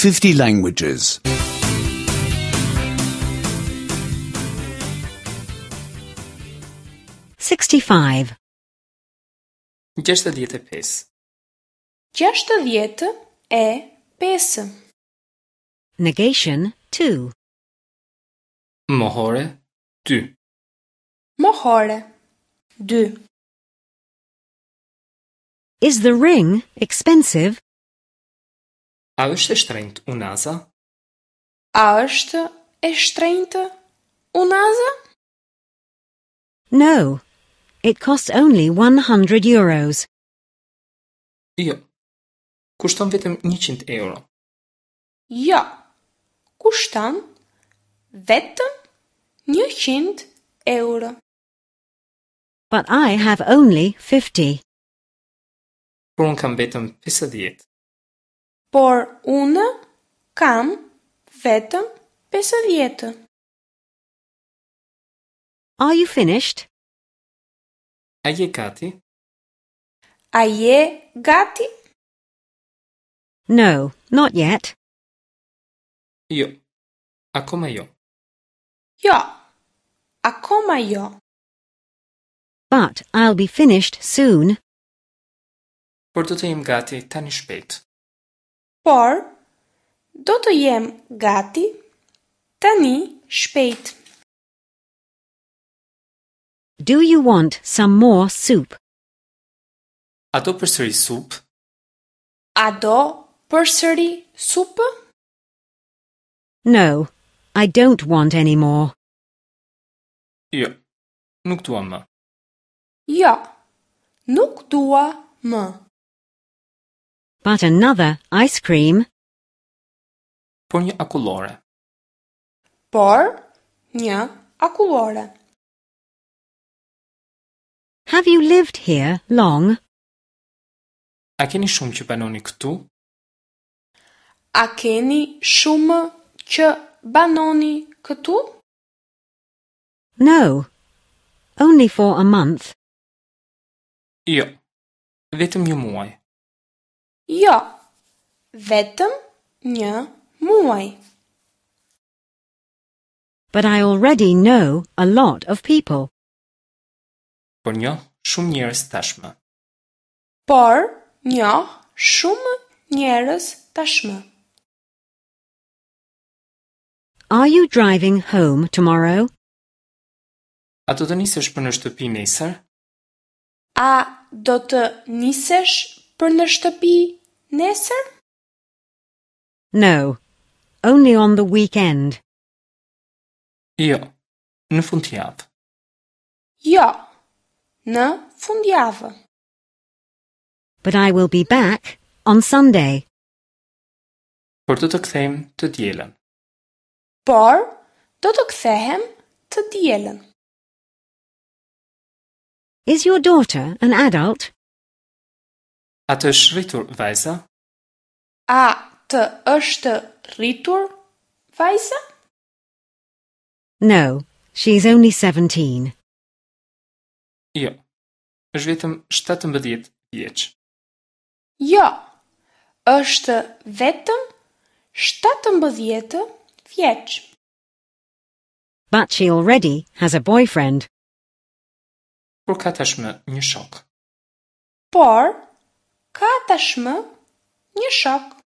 50 languages. 65. 65. 65. Negation 2. Mohore 2. Mohore 2. Is the ring expensive? A është e shtrenjtë unaza? A është e shtrenjtë unaza? No. It costs only 100 euros. Jo. Kushton vetëm 100 euro. Jo. Kushton vetëm 100 euro. But I have only 50. Por unë kam vetëm 50. Por unë kam vetëm 50. Are you finished? A je gati? A je gati? No, not yet. Jo. Akoma jo. Jo. Akoma jo. But I'll be finished soon. Por do të jem gati tani shpejt. Por do të jem gati tani shpejt. Do you want some more soup? A do përsëri supë? A do përsëri supë? No, I don't want any more. Jo. Nuk dua më. Jo. Nuk dua më. But another ice cream. Por një akullore. Por një akullore. Have you lived here long? A keni shumë që banoni këtu? A keni shumë që banoni këtu? No. Only for a month. Jo. Vetëm një muaj. Jo. Vetëm një muaj. But I already know a lot of people. Por njoh shumë njerëz tashmë. Por njoh shumë njerëz tashmë. Are you driving home tomorrow? A do të nisesh për në shtëpi nesër? A do të nisesh për në shtëpi nesër? No. Only on the weekend. Jo. Në fundjavë. Jo. Në fundjavë. But I will be back on Sunday. Por do të kthehem të dielën. Por do të kthehem të dielën. Is your daughter an adult? A të është rritur vajza? A të është rritur vajza? No, she's only 17. Jo. Është vetëm 17 vjeç. Jo. Është vetëm 17 vjeç. But she already has a boyfriend. Por ka tashmë një shok. Por ka tashmë një shok.